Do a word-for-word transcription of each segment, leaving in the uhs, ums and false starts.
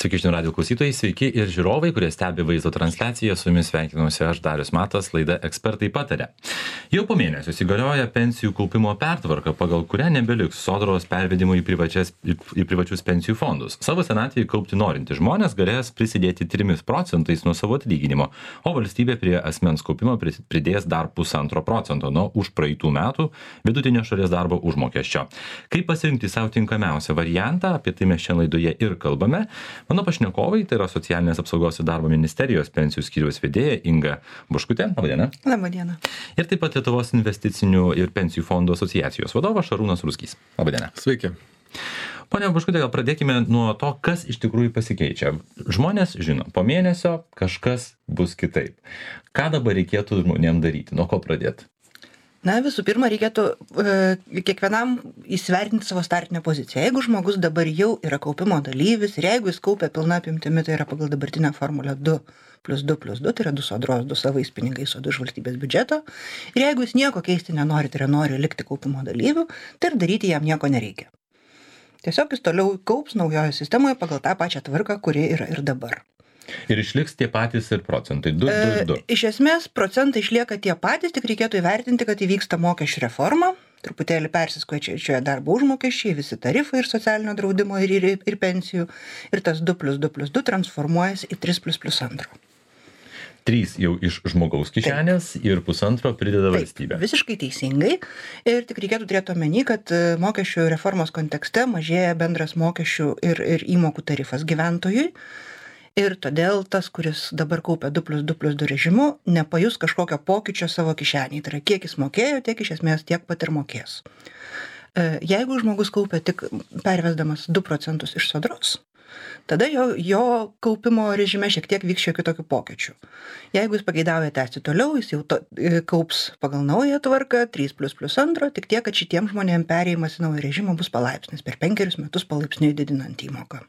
Sveiki, žinių radijo klausytojai, sveiki ir žiūrovai, kurie stebi vaizdo transliaciją. Su jumis sveikinuosi aš, Darius Matas, laida Ekspertai pataria. Jau po mėnesio įsigalioja pensijų kaupimo pertvarka, pagal kurią nebeliks sodros pervedimų į, privačias, į privačius pensijų fondus. Savo senatvėje kaupti norintys žmonės galės prisidėti trimis procentais nuo savo atlyginimo, o valstybė prie asmens kaupimo pridės dar pusantro procento nuo už praeitų metų vidutinio šalies darbo užmokesčio. Kaip pasirinkti savo tinkamiausią variantą, apie tai mes šiandien laidoje ir kalbame. Mano pašnekovai, tai yra Socialinės apsaugos ir darbo ministerijos pensijų skyriaus vedėja Inga Buškutė. Labadiena. Labadiena. Ir taip pat Lietuvos investicinių ir pensijų fondų asociacijos vadovas Šarūnas Ruskys. Labadiena. Sveiki. Pone Buškutė, gal pradėkime nuo to, kas iš tikrųjų pasikeičia. Žmonės žino, po mėnesio kažkas bus kitaip. Ką dabar reikėtų žmonėm daryti? Nuo ko pradėti? Na, visų pirma, reikėtų e, kiekvienam įsivertinti savo startinę poziciją. Jeigu žmogus dabar jau yra kaupimo dalyvis ir jeigu jis kaupia pilna apimtimi, tai yra pagal dabartinę formulę du plus du plus du, tai yra du sodros, du savais pinigais, o du iš valstybės biudžeto. Ir jeigu jis nieko keisti nenori, tai yra nori likti kaupimo dalyviu, tai ir daryti jam nieko nereikia. Tiesiog jis toliau kaups naujoje sistemoje pagal tą pačią tvarką, kuri yra ir dabar. Ir išliks tie patys ir procentai, du ir du. E, iš esmės, procentai išlieka tie patys, tik reikėtų įvertinti, kad įvyksta mokesčių reforma, truputėlį persiskaičiuoja darbo užmokesčiai, visi tarifai ir socialinio draudimo ir, ir, ir pensijų, ir tas du plus du plus du transformuojasi į tris plus plus antro. trys jau iš žmogaus kišenės Taip. Ir pusantro prideda Taip, valstybė. Visiškai teisingai. Ir tik reikėtų turėti omeny, kad mokesčių reformos kontekste mažėja bendras mokesčių ir, ir įmokų tarifas gyventojui. Ir todėl tas, kuris dabar kaupia du plus du plus du režimu, nepajus kažkokio pokyčio savo kišenėje. Tai yra, kiek jis mokėjo, tiek iš esmės tiek pat ir mokės. Jeigu žmogus kaupia tik pervesdamas du procentus iš sodros, tada jo, jo kaupimo režime šiek tiek vyks šiek tiek kitokių pokyčių. Jeigu jis pageidauja tęsti toliau, jis jau to, kaups pagal naują tvarką, trys plus plus antro, tik tiek, kad šitiem žmonėm perėjimas į naują režimą bus palaipsnis, per penkerius metus palaipsniui didinant įmoką.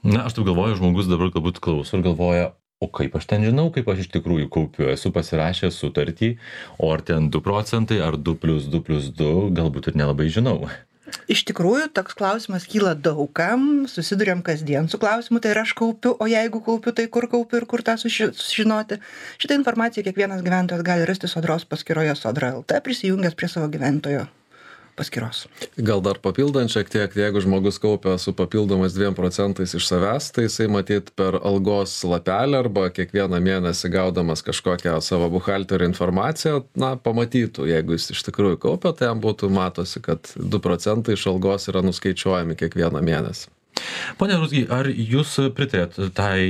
Na, aš taip galvoju, žmogus dabar galbūt klauso ir galvoja, o kaip aš ten žinau, kaip aš iš tikrųjų kaupiu, esu pasirašęs sutartį, o ar ten du procentai, ar du plus du plus du, galbūt ir nelabai žinau. Iš tikrųjų, toks klausimas kyla daugam, susiduriam kasdien su klausimu, tai ir aš kaupiu, o jeigu kaupiu, tai kur kaupiu ir kur tą sužinoti. Šitą informaciją kiekvienas gyventojas gali rasti sodros paskyroje Sodra L T, prisijungęs prie savo gyventojo paskyros. Gal dar papildant šiek tiek, jeigu žmogus kaupia su papildomas dviem procentais iš savęs, tai jisai matyt per algos lapelį arba kiekvieną mėnesį gaudamas kažkokią savo buhalterio informaciją, na, pamatytų, jeigu jis iš tikrųjų kaupia, tai jam būtų matosi, kad du procentai iš algos yra nuskaičiuojami kiekvieną mėnesį. Pone Rusky, ar jūs pritarėt tai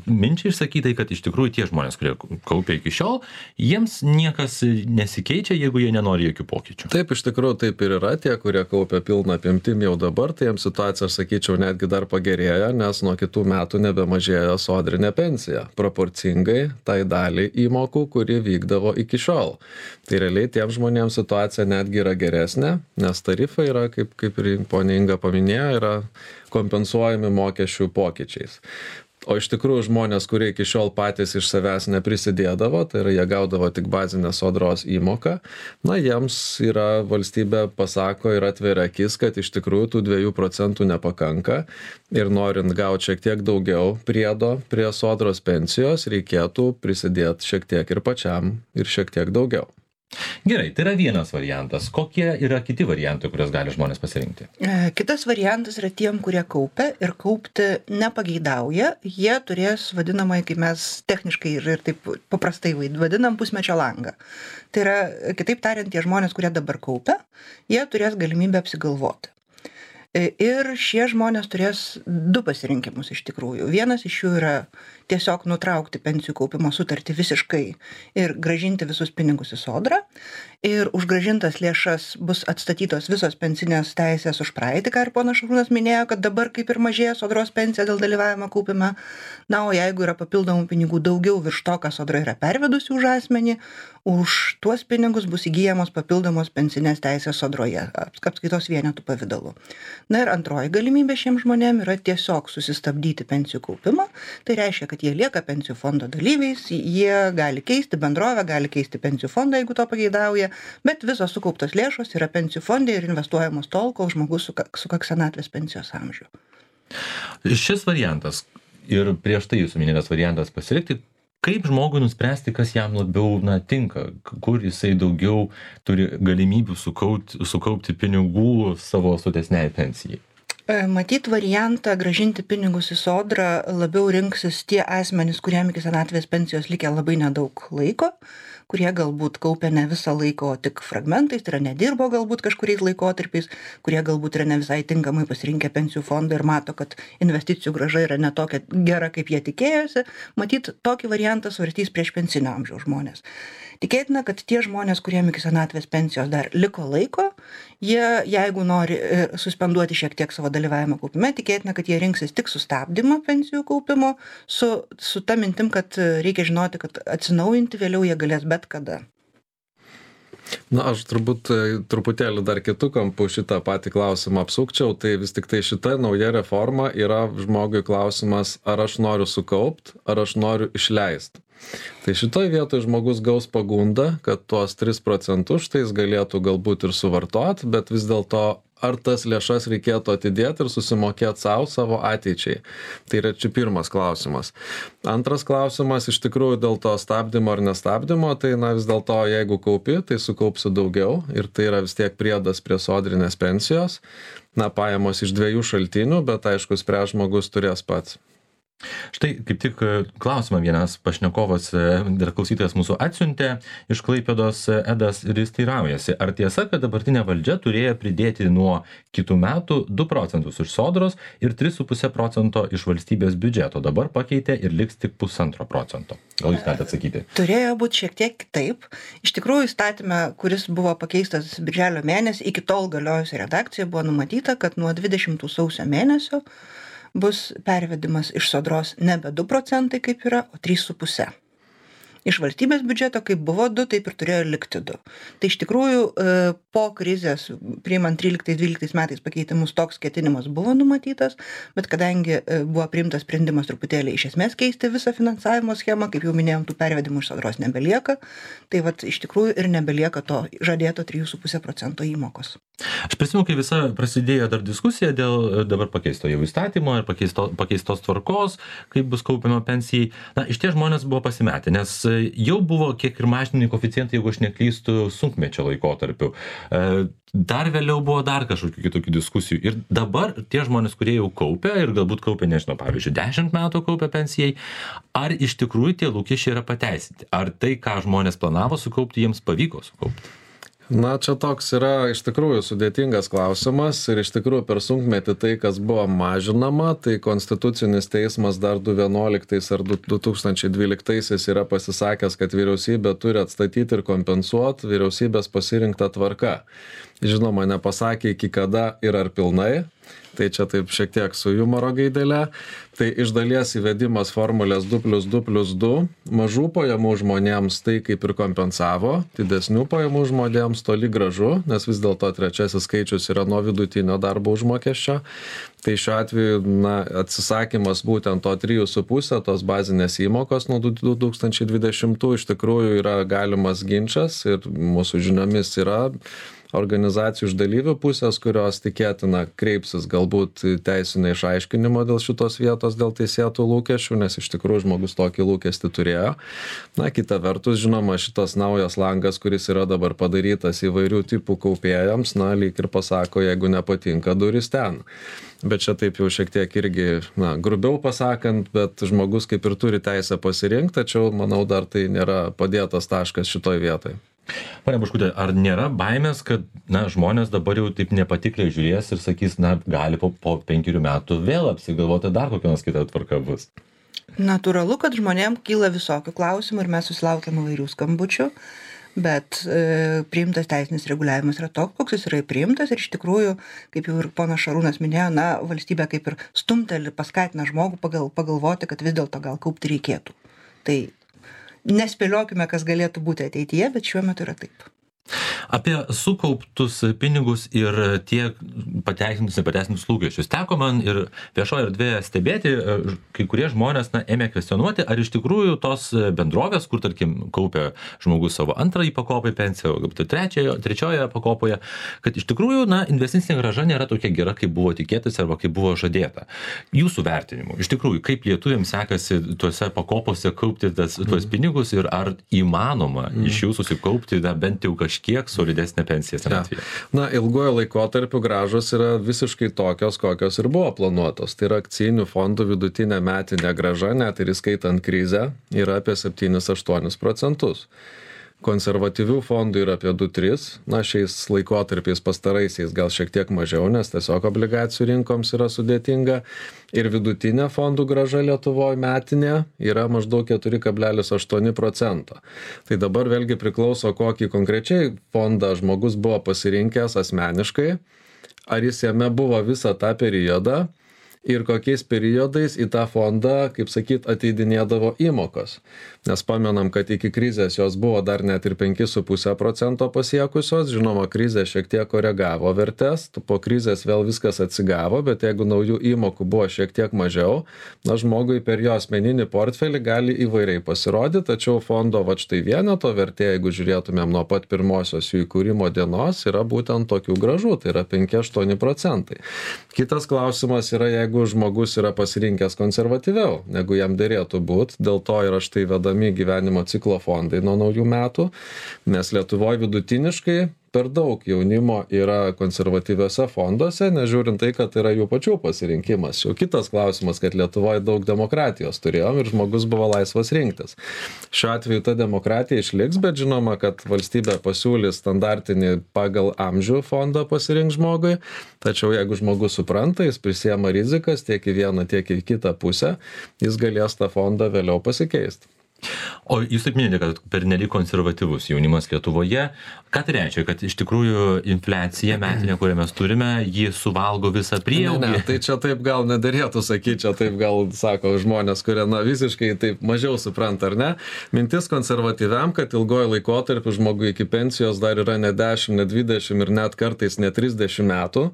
minčiai išsakytai, kad iš tikrųjų tie žmonės, kurie kaupia iki šiol, jiems niekas nesikeičia, jeigu jie nenori jokių pokyčių? Taip, iš tikrųjų taip ir yra. Tie, kurie kaupia pilną apimtim jau dabar, tai jiems situacija, aš sakyčiau, netgi dar pagerėjo, nes nuo kitų metų nebemažėjo sodrinė pensija, proporcingai tai daliai įmokų, kuri vykdavo iki šiol. Tai realiai tiem žmonėms situacija netgi yra geresnė, nes tarifai yra, kaip, kaip ir ponė Inga paminėjo, yra kompensuojami mokesčių pokyčiais. O iš tikrųjų žmonės, kurie iki šiol patys iš savęs neprisidėdavo, tai yra jie gaudavo tik bazinę sodros įmoką, na jiems yra valstybė pasako ir atveria akis, kad iš tikrųjų tų dviejų procentų nepakanka ir norint gauti šiek tiek daugiau priedo prie sodros pensijos, reikėtų prisidėti šiek tiek ir pačiam ir šiek tiek daugiau. Gerai, tai yra vienas variantas. Kokie yra kiti variantai, kurias gali žmonės pasirinkti? Kitas variantas yra tiem, kurie kaupia ir kaupti nepageidauja. Jie turės vadinamai, kaip mes techniškai ir, ir taip paprastai vadinam, pusmečio langą. Tai yra, kitaip tariant, tie žmonės, kurie dabar kaupia, jie turės galimybę apsigalvoti. Ir šie žmonės turės du pasirinkimus iš tikrųjų. Vienas iš jų yra tiesiog nutraukti pensijų kaupimo sutartį visiškai ir gražinti visus pinigus į sodrą. Ir už gražintas lėšas bus atstatytos visos pensinės teisės už praeitį, ką ir ponas Šarūnas minėjo, kad dabar kaip ir mažėja sodros pensija dėl dalyvavimo kaupime. Na, o jeigu yra papildomų pinigų daugiau virš to, ką sodra yra pervedusi už asmenį, už tuos pinigus bus įgyjamos papildomos pensinės teisės sodroje, apskaitos vienetų pavidalu. Na ir antroji galimybė šiems žmonėms yra tiesiog susistabdyti pensijų kaupimą. Tai reiškia, kad jie lieka pensijų fondo dalyviais, jie gali keisti bendrovę, gali keisti pensijų fondą, jeigu to pageidauja, bet visos sukauptos lėšos yra pensijų fonde ir investuojamos tol, kol žmogus sukaks senatvės pensijos amžių. Šis variantas ir prieš tai jūsų minėtas variantas pasilikti, kaip žmogui nuspręsti, kas jam labiau na, tinka, kur jisai daugiau turi galimybių sukaupti, sukaupti pinigų savo sotesniai pensijai? Matyt, variantą gražinti pinigus į sodrą labiau rinksis tie asmenys, kuriem iki senatvės pensijos likę labai nedaug laiko, kurie galbūt kaupia ne visą laiką, o tik fragmentais, tai yra nedirbo galbūt kažkuriais laikotarpiais, kurie galbūt yra ne visai tinkamai pasirinkę pensijų fondą ir mato, kad investicijų grąža yra ne tokia gera, kaip jie tikėjosi. Matyt, tokį variantą svarstys prieš pensinio amžiaus žmonės. Tikėtina, kad tie žmonės, kuriem iki senatvės pensijos dar liko laiko, jie, jeigu nori suspenduoti šiek tiek savo dalyvavimą kaupime, tikėtina, kad jie rinksis tik sustabdymą pensijų kaupimo su, su ta mintim, kad reikia žinoti, kad atsinaujinti vėliau jie galės bet kada. Na, aš turbūt truputėlį dar kitų kampų šitą patį klausimą apsukčiau, tai vis tik tai šita nauja reforma yra žmogui klausimas, ar aš noriu sukaupt, ar aš noriu išleisti. Tai šitoj vietoj žmogus gaus pagundą, kad tuos tris procentus štai jis galėtų galbūt ir suvartot, bet vis dėlto ar tas lėšas reikėtų atidėti ir susimokėti savo, savo ateičiai. Tai yra čia pirmas klausimas. Antras klausimas, iš tikrųjų dėl to stabdymo ar nestabdymo, tai na vis dėlto jeigu kaupi, tai sukaupsi daugiau ir tai yra vis tiek priedas prie sodrinės pensijos. Na, pajamos iš dviejų šaltinių, bet aišku, spręs žmogus turės pats. Štai kaip tik klausimą vienas pašnekovas ir klausytojas mūsų atsiuntė iš Klaipėdos Edas ir jis teiraujasi, ar tiesa, kad dabartinė valdžia turėjo pridėti nuo kitų metų du procentus iš sodros ir tris su puse procento iš valstybės biudžeto, dabar pakeitė ir liks tik pusantro procento. Gal jūs galite atsakyti? Turėjo būti šiek tiek kitaip. Iš tikrųjų, įstatyme, kuris buvo pakeistas birželio mėnesį, iki tol galiojusi redakcija buvo numatyta, kad nuo dvidešimtų sausio mėnesio bus pervedimas iš sodros nebe du procentai kaip yra, o trys su puse. Iš valstybės biudžeto, kaip buvo du, taip ir turėjo likti du. Tai iš tikrųjų po krizės, priimant tryliktais dvyliktais metais pakeitimus, toks ketinimas buvo numatytas, bet kadangi buvo priimtas sprendimas truputėlį iš esmės keisti visą finansavimo schemą, kaip jau minėjom, tų pervedimų iš sodros nebelieka, tai vat iš tikrųjų ir nebelieka to žadėto trijų su puse procento įmokos. Aš prisimenu, kai visa prasidėjo dar diskusija dėl dabar pakeisto jau įstatymo ir pakeisto, pakeistos tvarkos, kaip bus kaupiama pensijai. Na, iš tie žmonės buvo pasimetę, nes jau buvo kiek ir mažinami koeficientai, jeigu aš neklystu, sunkmečio laikotarpiu. Dar vėliau buvo dar kažkokių kitokių diskusijų. Ir dabar tie žmonės, kurie jau kaupia ir galbūt kaupia, nežinau, pavyzdžiui, dešimt metų kaupia pensijai, ar iš tikrųjų tie lūkesčiai yra pateisinti? Ar tai, ką žmonės planavo sukaupti, jiems pavyko sukaupti? Na, čia toks yra iš tikrųjų sudėtingas klausimas ir iš tikrųjų per sunkmetį tai, kas buvo mažinama, tai Konstitucinis teismas dar du tūkstančiai vienuoliktais ar du tūkstančiai dvyliktaisiais yra pasisakęs, kad vyriausybė turi atstatyti ir kompensuoti vyriausybės pasirinktą tvarką. Žinoma, nepasakė iki kada ir ar pilnai, tai čia taip šiek tiek su humoro gaidelė. Tai iš dalies įvedimas formulės du plius du plius du mažų pajamų žmonėms tai kaip ir kompensavo, didesnių pajamų žmonėms toli gražu, nes vis dėlto trečiasis skaičius yra nuo vidutinio darbo užmokesčio. Tai šiuo atveju na, atsisakymas būtent to trijų su puse, tos bazinės įmokos nuo du tūkstančiai dvidešimtų iš tikrųjų yra galimas ginčas ir mūsų žiniomis yra organizacijų iš dalyvių pusės, kurios tikėtina kreipsis galbūt teisinio išaiškinimo dėl šitos vietos, dėl teisėtų lūkesčių, nes iš tikrųjų žmogus tokį lūkestį turėjo. Na, kita vertus, žinoma, šitas naujas langas, kuris yra dabar padarytas įvairių tipų kaupėjams, na, lyg ir pasako, jeigu nepatinka, duris ten. Bet čia taip jau šiek tiek irgi, na, grubiau pasakant, bet žmogus kaip ir turi teisę pasirinkti, tačiau, manau, dar tai nėra padėtas taškas šitoj vietoj. Pane Buškute, ar nėra baimės, kad na, žmonės dabar jau taip nepatikliai žiūrės ir sakys, na, gali po, po penkerių metų vėl apsigalvoti dar kokia nors kita tvarka bus? Natūralu, kad žmonėm kyla visokių klausimų ir mes susilaukiam įvairių skambučių, bet e, priimtas teisinis reguliavimas yra toks, koks jis yra priimtas ir iš tikrųjų, kaip jau ir ponas Šarūnas minėjo, na, valstybė kaip ir stumteli, paskatina žmogų pagal, pagalvoti, kad vis dėlto gal kaupti reikėtų. Tai nespėliokime, kas galėtų būti ateityje, bet šiuo metu yra taip. Apie sukauptus pinigus ir tiek pateisintus, nepateisintus lūkesčius. Teko man ir viešoje erdvėje stebėti, kai kurie žmonės na, ėmė kvestionuoti, ar iš tikrųjų tos bendrovės, kur, tarkim, kaupia žmogus savo antrąjį pakopą į pensiją, galbūt trečioje, trečioje pakopoje, kad iš tikrųjų na, investicinė grąža nėra tokia gera, kaip buvo tikėtis arba kaip buvo žadėta. Jūsų vertinimu, iš tikrųjų, kaip lietuviams sekasi tuose pakopose kaupti tas, tuos pinigus ir ar įmanoma mm. iš jų susikaupti na, bent jau kažkiek solidesnė pensija senatvėje. Ja. Na, ilgojo laikotarpiu grąžos yra visiškai tokios, kokios ir buvo planuotos. Tai yra akcijinių fondų vidutinė metinė grąža, net ir įskaitant krizę, yra apie septynis aštuonis procentus. Konservatyvių fondų yra apie du tris, na šiais laikotarpiais pastaraisiais gal šiek tiek mažiau, nes tiesiog obligacijų rinkoms yra sudėtinga. Ir vidutinė fondų grąža Lietuvoje metinė yra maždaug keturi kablelis aštuoni procento. Tai dabar vėlgi priklauso, kokį konkrečiai fondą žmogus buvo pasirinkęs asmeniškai, ar jis jame buvo visą tą periodą ir kokiais periodais į tą fondą, kaip sakyt, ateidinėdavo įmokos. Nes pamenam, kad iki krizės jos buvo dar net ir penki su puse procento pasiekusios, žinoma, krizė šiek tiek koregavo vertės, po krizės vėl viskas atsigavo, bet jeigu naujų įmokų buvo šiek tiek mažiau, na žmogui per jo asmeninį portfelį gali įvairiai pasirodyti, tačiau fondo va štai vieneto vertė, jeigu žiūrėtumėm nuo pat pirmosios jų įkūrimo dienos, yra būtent tokių grąžų, tai yra penki aštuoni procentai. Kitas klausimas yra, jeigu žmogus yra pasirinkęs konservatyviau, negu jam dėrėtų būti, dėl to yra štai vedami gyvenimo ciklo fondai nuo naujų metų, nes Lietuvoje vidutiniškai per daug jaunimo yra konservatyviuose fonduose, nežiūrint tai, kad yra jų pačių pasirinkimas. Jau kitas klausimas, kad Lietuvoje daug demokratijos turėjom ir žmogus buvo laisvas rinktis. Šiuo atveju ta demokratija išliks, bet žinoma, kad valstybė pasiūlys standartinį pagal amžių fondą pasirink žmogui, tačiau jeigu žmogus supranta, jis prisiema rizikas tiek į vieną, tiek į kitą pusę, jis galės tą fondą vėliau pasikeisti. O jūs taip minėjote, kad pernelyg konservatyvus jaunimas Lietuvoje. Ką tai reiškia, kad iš tikrųjų infliacija metinė, kurią mes turime, ji suvalgo visą prieaugį? Ne, ne, tai čia taip gal nedarėtų sakyti, čia taip gal sako žmonės, kurie na, visiškai taip mažiau supranta, ar ne? Mintis konservatyviam, kad ilgojo laikotarpiu žmogui iki pensijos dar yra ne dešimt, ne dvidešimt ir net kartais ne trisdešimt metų,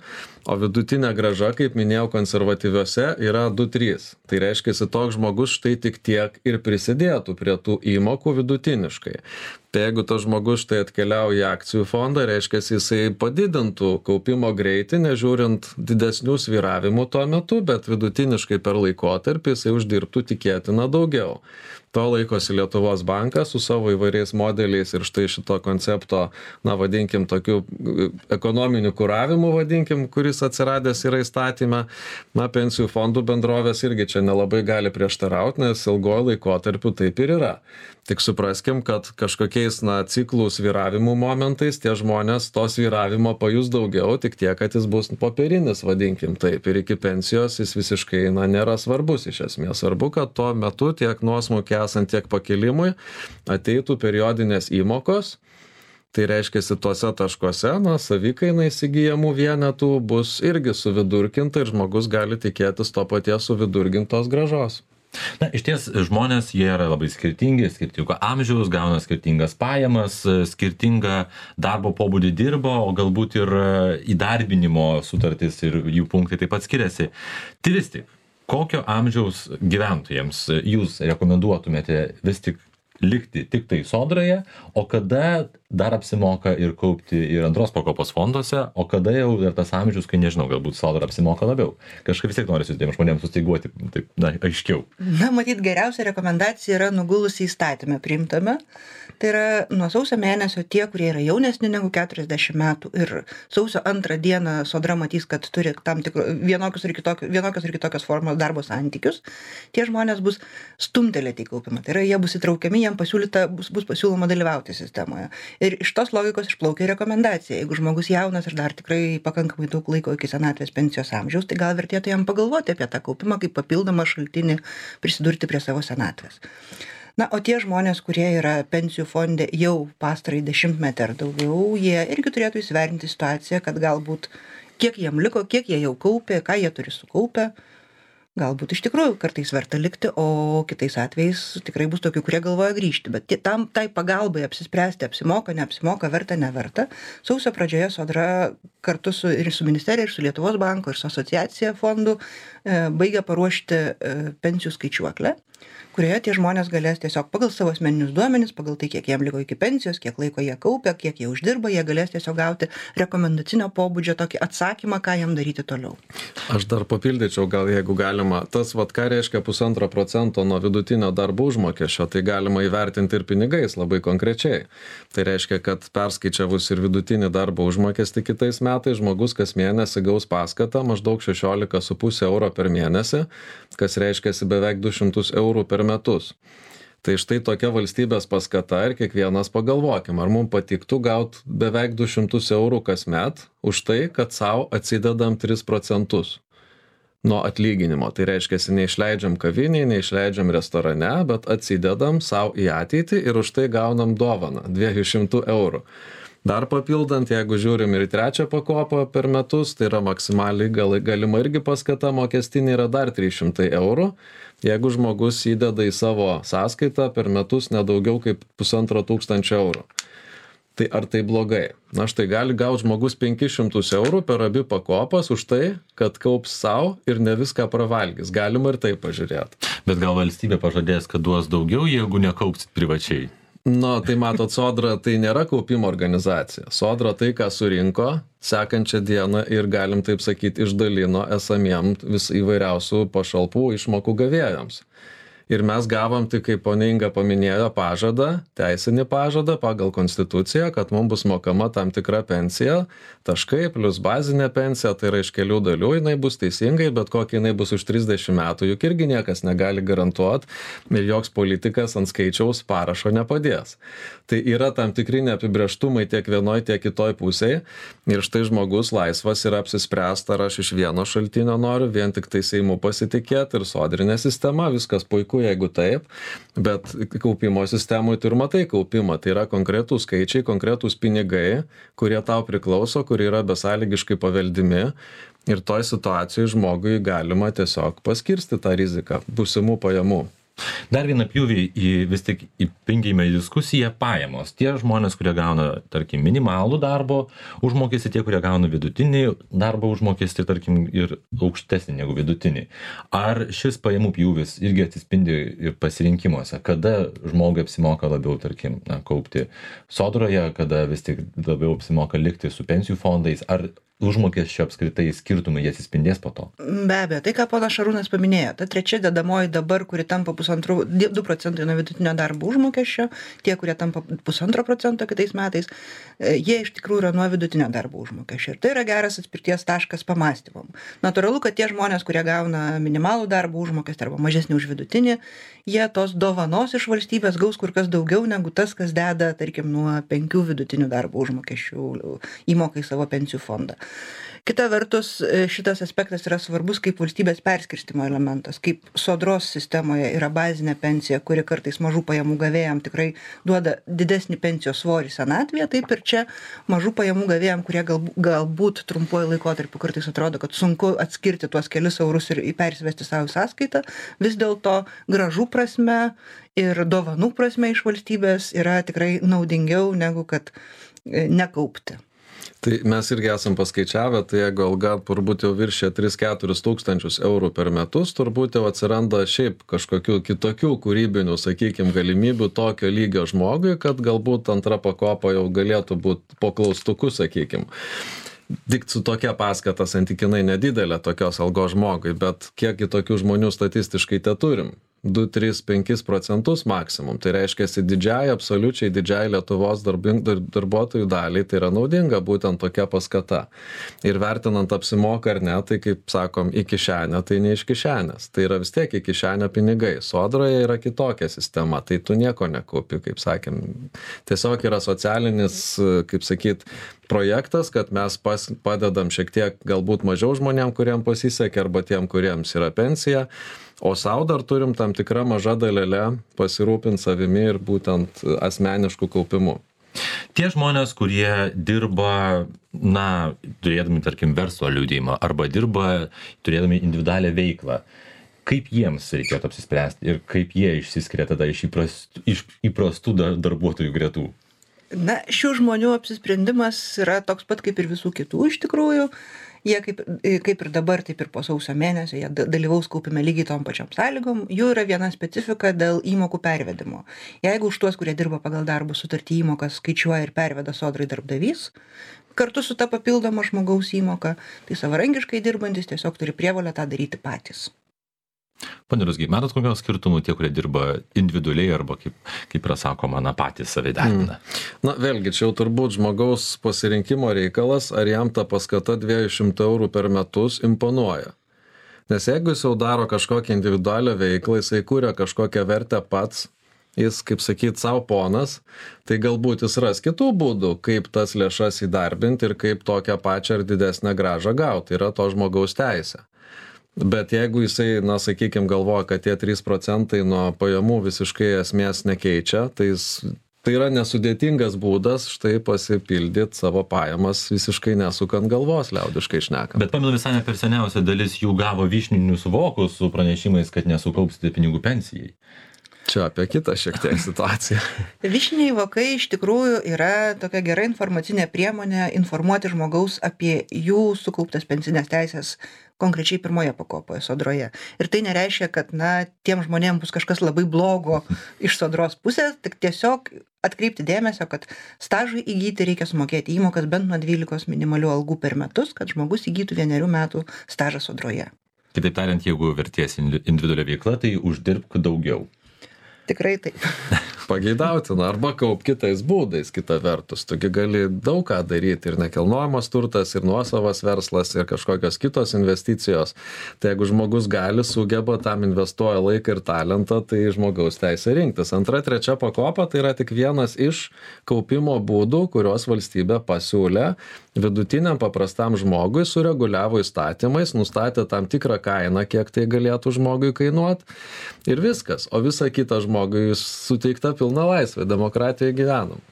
o vidutinė grąža, kaip minėjau, konservatyviuose yra du trys. Tai reiškia, toks žmogus štai tik tiek ir prisidėtų prie tų įmokų vidutiniškai. Tai jeigu tas žmogus štai atkeliauja į akcijų fondą, reiškia, jisai padidintų kaupimo greitį, nežiūrint didesnių svyravimų tuo metu, bet vidutiniškai per laikotarpį jisai uždirbtų tikėtina daugiau. To laikosi Lietuvos bankas su savo įvairiais modeliais ir štai šito koncepto, na vadinkim, tokiu ekonominiu kuravimu, vadinkim, kuris atsiradęs yra įstatyme. Na, pensijų fondų bendrovės irgi čia nelabai gali prieštarauti, nes ilgojo laikotarpiu taip ir yra. Tik supraskim, kad kažkokiais, na, ciklų svyravimų momentais tie žmonės to svyravimo pajus daugiau, tik tiek, kad jis bus popierinis, vadinkim taip, ir iki pensijos jis visiškai, na, nėra svarbus iš esmės. Svarbu, kad tuo metu tiek nuosmukį esant, tiek pakilimui ateitų periodinės įmokos. Tai reiškia, tuose taškuose, na, savikaina įsigijamų vienetų bus irgi suvidurkinta ir žmogus gali tikėtis to paties suvidurgintos grąžos. Na, iš ties žmonės, jie yra labai skirtingi, skirtingo amžiaus, gauna skirtingas pajamas, skirtingą darbo pobūdį dirbo, o galbūt ir įdarbinimo sutartis ir jų punktai taip pat skiriasi. Tai vis tik, kokio amžiaus gyventojams jūs rekomenduotumėte vis tik likti tik tai Sodroje, o kada dar apsimoka ir kaupti ir antros pakopos fonduose, o kada jau dar tas amžius, kai nežinau, galbūt Sodra apsimoka labiau. Kažkaip vis tiek nori tiem žmonėms sustyguoti taip, na, aiškiau. Na, matyt, geriausia rekomendacija yra nugulusi įstatymę priimtame. Tai yra nuo sausio mėnesio tie, kurie yra jaunesni negu keturiasdešimt metų ir sausio antrą dieną Sodra matys, kad turi tam tikrų vienokius ir kitokius, vienokios ir kitokios formos darbo santykius, tie žmonės bus stumtelėti į kaupimą. Tai yra, jie bus įtraukiami, jiem pasiūlyta, bus, bus pasiūloma dalyvauti sistemoje. Ir iš tos logikos išplaukia rekomendacija. Jeigu žmogus jaunas ir dar tikrai pakankamai daug laiko iki senatvės pensijos amžiaus, tai gal vertėtų jam pagalvoti apie tą kaupimą kaip papildomą šaltinį prisidurti prie savo senatvės. Na, o tie žmonės, kurie yra pensijų fonde jau pastarąjį dešimtmetį ar daugiau, jie irgi turėtų įsivertinti situaciją, kad galbūt kiek jiem liko, kiek jie jau kaupė, ką jie turi sukaupę. galbūt iš tikrųjų kartais verta likti, o kitais atvejais tikrai bus tokių, kurie galvoja grįžti. Bet tam tai pagalbai apsispręsti, apsimoka, neapsimoka, verta, neverta. Sausio pradžioje Sodra kartu su, ir su ministerija, ir su Lietuvos banko, ir su asociacija fondų e, baigia paruošti e, pensijų skaičiuoklę, kurioje tie žmonės galės tiesiog pagal savo asmeninius duomenis, pagal tai, kiek jiem liko iki pensijos, kiek laiko jie kaupia, kiek jie uždirba, jie galės tiesiog gauti rekomendacinio pobūdžio tokį atsakymą, ką jiem daryti toliau. Aš dar papildyčiau, gal jeigu galima, tas, vat, ką reiškia pusantro procento nuo vidutinio darbo užmokesčio, tai galima įvertinti ir pinigais labai konkrečiai. Tai reiškia, kad perskaičiavus ir vidutinį darbo užmokestį kitais metais, žmogus kas mėnesį gaus paskatą maždaug šešiolika su puse euro per mėnesį, kas reiškia beveik du šimtus eurų per metus. Tai štai tokia valstybės paskata ir kiekvienas pagalvokim, ar mums patiktų gauti beveik du šimtus eurų kasmet už tai, kad savo atsidedam tris procentus nuo atlyginimo. Tai reiškia, neišleidžiam kaviniai, neišleidžiam restorane, bet atsidedam savo į ateitį ir už tai gaunam dovaną dviejų šimtų eurų. Dar papildant, jeigu žiūrim ir trečią pakopą per metus, tai yra maksimaliai gal, galima irgi paskata mokestinė yra dar trys šimtai eurų. Jeigu žmogus įdeda į savo sąskaitą per metus nedaugiau kaip pusantro tūkstančio eurų. Tai ar tai blogai? Na štai gali gauti žmogus penkis šimtus eurų per abi pakopas už tai, kad kaups savo ir ne viską pravalgys. Galima ir tai pažiūrėti. Bet gal valstybė pažadės, kad duos daugiau, jeigu nekaupsit privačiai? Na, tai matot, Sodra tai nėra kaupimo organizacija. Sodra tai, ką surinko, sekančią dieną ir galim taip sakyti, išdalino esamiem vis įvairiausių pašalpų išmokų gavėjams. Ir mes gavom, tik kaip ponia Inga paminėjo, pažadą, teisinį pažadą pagal konstituciją, kad mums bus mokama tam tikra pensija, taškai plus bazinė pensija, tai yra iš kelių dalių, jinai bus teisingai, bet kokia jinai bus už trisdešimt metų, juk irgi niekas negali garantuoti ir joks politikas ant skaičiaus parašo nepadės. Tai yra tam tikri neapibrėžtumai tiek vienoj, tiek kitoj pusėje ir štai žmogus laisvas yra apsispręsta, ar aš iš vieno šaltinio noriu, vien tik tai Seimu pasitikėti ir sodrinė sistema, viskas puiku, jeigu taip, bet kaupimo sistemui tu ir matai kaupimą, tai yra konkretūs skaičiai, konkretūs pinigai, kurie tau priklauso, kurie yra besąlygiškai paveldimi ir toj situacijai žmogui galima tiesiog paskirsti tą riziką būsimų pajamų. Dar vieną pjūvį į vis tik įpingime į diskusiją pajamos. Tie žmonės, kurie gauna, tarkim, minimalų darbo užmokestį, tie, kurie gauna vidutinį darbo užmokestį, tarkim, ir aukštesnį negu vidutinį. Ar šis pajamų pjūvis irgi atsispindi ir pasirinkimuose? Kada žmogui apsimoka labiau, tarkim, na, kaupti Sodroje, kada vis tik labiau apsimoka likti su pensijų fondais? Ar užmokesčio apskritai skirtumai jie atsispindės po to? Be abejo, tai ką ponas Šarūnas paminėjo, ta trečia dedamoji dabar, kuri tampa pusantrų, du procentai nuo vidutinio darbo užmokesčio, tie, kurie tampa pusantro procento kitais metais, jie iš tikrųjų yra nuo vidutinio darbo užmokesčio. Ir tai yra geras atspirties taškas pamąstymam. Natūralu, kad tie žmonės, kurie gauna minimalų darbo užmokestį arba mažesnį už vidutinį, jie tos dovanos iš valstybės gaus kur kas daugiau negu tas, kas deda, tarkim, nuo penkių vidutinių darbo užmokesčių įmokai savo pensijų fondą. Kita vertus, šitas aspektas yra svarbus kaip valstybės perskirstimo elementas, kaip Sodros sistemoje yra bazinė pensija, kuri kartais mažų pajamų gavėjam tikrai duoda didesnį pensijos svorį senatvėje, taip ir čia mažų pajamų gavėjam, kurie galbūt, galbūt trumpuoju laikotarpiu kartais atrodo, kad sunku atskirti tuos kelius eurus ir persivesti savo sąskaitą, vis dėlto gražų prasme ir dovanų prasme iš valstybės yra tikrai naudingiau negu kad nekaupti. Tai mes irgi esam paskaičiavę, tai jeigu alga turbūt jau viršė tris keturis tūkstančius eurų per metus, turbūt jau atsiranda šiaip kažkokių kitokių kūrybinių, sakykime, galimybių tokio lygio žmogui, kad galbūt antra pakopa jau galėtų būti po klaustuku, sakykime. Tik su tokia paskata santykinai nedidelė tokios algos žmogui, bet kiek tokių žmonių statistiškai te turim? du, tris, penkis procentus maksimum. Tai reiškia, didžiai, absoliučiai didžiai Lietuvos darbing, dar, darbuotojų daliai tai yra naudinga būtent tokia paskata. Ir vertinant apsimoka ar ne, tai kaip sakom, į kišenę, tai ne iš kišenės. Tai yra vis tiek į kišenę pinigai. Sodroje yra kitokia sistema, tai tu nieko nekaupi, kaip sakėm. Tiesiog yra socialinis, kaip sakyt, projektas, kad mes pas, padedam šiek tiek galbūt mažiau žmonėm, kuriem pasisekė, arba tiem, kuriems yra pensija. O sau dar turim tam tikrą mažą dalelę pasirūpinti savimi ir būtent asmeniškų kaupimu. Tie žmonės, kurie dirba, na, turėdami, tarkim, verslo liudijimą arba dirba turėdami individualią veiklą, kaip jiems reikėtų apsispręsti ir kaip jie išsiskiria tada iš įprastų, iš įprastų dar, darbuotojų gretų? Na, šių žmonių apsisprendimas yra toks pat kaip ir visų kitų iš tikrųjų. Jie kaip, kaip ir dabar, taip ir po sausio mėnesio, jie dalyvaus kaupime lygiai tom pačiom sąlygom. Jų yra viena specifika dėl įmokų pervedimo. Jeigu už tuos, kurie dirba pagal darbo sutartį, įmokas skaičiuoja ir perveda sodrai darbdavys, kartu su ta papildoma žmogaus įmoka, tai savarankiškai dirbantis tiesiog turi prievolę tą daryti patys. Pone Ruzgy, matot kokios skirtumų tie, kurie dirba individualiai arba, kaip, kaip yra sakoma, na, patys save įdarbina? Mm. Na, vėlgi, čia jau turbūt žmogaus pasirinkimo reikalas, ar jam ta paskata dviejų šimtų eurų per metus imponuoja. Nes jeigu jis jau daro kažkokią individualią veiklą, jisai kūrė kažkokią vertę pats, jis, kaip sakyt, savo ponas, tai galbūt jis ras kitų būdų, kaip tas lėšas įdarbinti ir kaip tokią pačią ar didesnę grąžą gauti. Tai yra to žmogaus teisė. Bet jeigu jisai, na, sakykime, galvoja, kad tie trys procentai nuo pajamų visiškai esmės nekeičia, tai, jis, tai yra nesudėtingas būdas štai pasipildyti savo pajamas visiškai nesukant galvos, liaudiškai šnekant. Bet pamenu, visai ne per seniausia dalis jų gavo vyšninius vokus su pranešimais, kad nesukaupsite pinigų pensijai. Čia apie kitą šiek tiek situaciją. Vyšniniai vokai iš tikrųjų yra tokia gera informacinė priemonė informuoti žmogaus apie jų sukauptas pensinės teisės konkrečiai pirmoje pakopoje sodroje. Ir tai nereiškia, kad, na, tiem žmonėms bus kažkas labai blogo iš sodros pusės, tik tiesiog atkreipti dėmesio, kad stažui įgyti reikia sumokėti įmokas bent nuo dvylikos minimalių algų per metus, kad žmogus įgytų vienerių metų stažą sodroje. Kitaip tariant, jeigu verties individualią veiklą, tai uždirbk daugiau. Tikrai taip. Pageidautina, arba kaup kitais būdais, kita vertus. Tugi gali daug ką daryti, ir nekilnojamas turtas, ir nuosavas verslas, ir kažkokios kitos investicijos. Tai jeigu žmogus gali, sugeba, tam investuoja laiką ir talentą, tai žmogaus teisė rinktis. Antra, trečia pakopa tai yra tik vienas iš kaupimo būdų, kurios valstybė pasiūlė vidutiniam paprastam žmogui, sureguliavo įstatymais, nustatė tam tikrą kainą, kiek tai galėtų žmogui kainuoti, ir viskas. O visa kita žmogui suteikta pilna laisvė, demokratijoje gyvenam.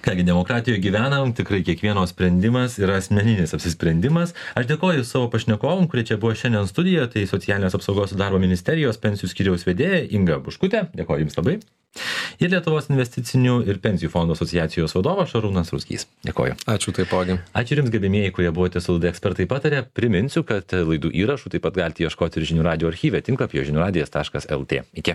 Kągi, demokratijoje gyvenam, tikrai kiekvieno sprendimas yra asmeninis apsisprendimas. Aš dėkoju savo pašnekovom, kurie čia buvo šiandien studijoje, tai Socialinės apsaugos ir darbo ministerijos pensijų skyriaus vedėja Inga Buškutė, dėkoju Jums labai. Ir Lietuvos investicinių ir pensijų fondų asociacijos vadovas Šarūnas Ruzgys. Dėkoju. Ačiū taipogi. Ačiū Jums, gerbėmieji, kurie buvote su laida Ekspertai pataria. Priminsiu, kad laidų įrašų taip pat galite ieškoti ir žinių radijo archyve tinklapyje žinių radijas taškas lt. Iki.